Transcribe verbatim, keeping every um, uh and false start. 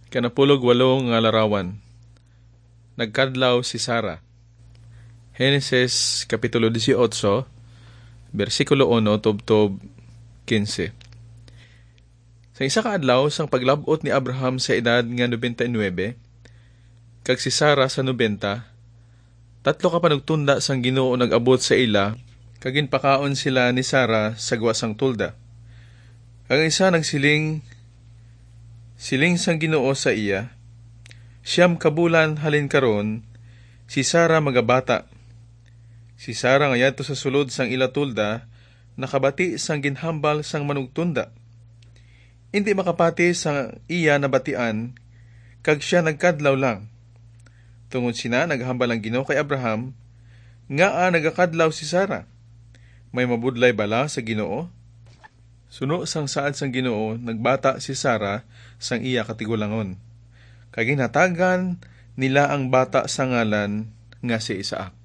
Kanapulog walo nga larawan. Nagkadlaw si Sara. Henesis Kapitulo dieciocho, bersikulo uno tubtob quince. Sa isa ka adlaw, sang paglab-ot ni Abraham sa edad nga nobenta y nuebe, kag si Sara sa nobenta, tatlo ka panugtunda sang Ginoo nag-abot sa ila, kag ginpakaon sila ni Sara sa gwa sang tolda. Kag ang isa nagsiling, siling sang Ginoo sa iya, "Siyam ka bulan halin karon, si Sara magabata." Si Sara nga yadto sa sulod sang ila tolda nakabati sang ginhambal sang manugtunda. Indi makapati sa iya nabatian, kag sia nagkadlaw lang. Tungod sina, naghambal ang Ginoo kay Abraham, "Ngaa nagakadlaw si Sara? May mabudlay bala sa Ginoo?" Suno sang saad sang Ginoo, nagbata si Sara sang iya katigulangon, kag ginhatagan nila ang bata sa ngalan nga si Isaac.